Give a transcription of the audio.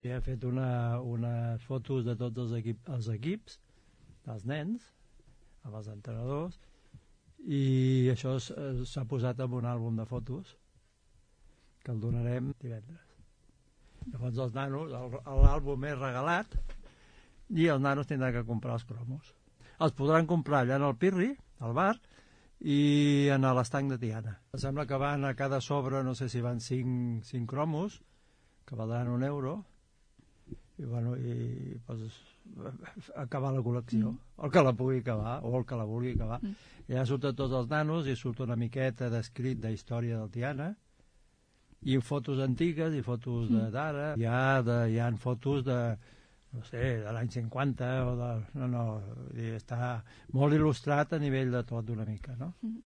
He fet unes fotos de tots els equips, dels nens, amb els entrenadors, i això s'ha posat en un àlbum de fotos que el donarem divendres. Llavors els nanos, l'àlbum és regalat i els nanos tindran que comprar els cromos. Els podran comprar allà en el Pirri, al bar, i en l'estanc de Tiana. Em sembla que van a cada sobre, no sé si van 5 cromos, que valdran €1, i bueno, pues, acabar la col·lecció, el que la pugui acabar o el que la vulgui acabar. I allà surten tots els nanos i surt una miqueta d'escrit d'història del Tiana, i fotos antigues i fotos d'ara. Hi ha fotos de, no sé, de l'any 50 o de... No, està molt il·lustrat a nivell de tot una mica, no?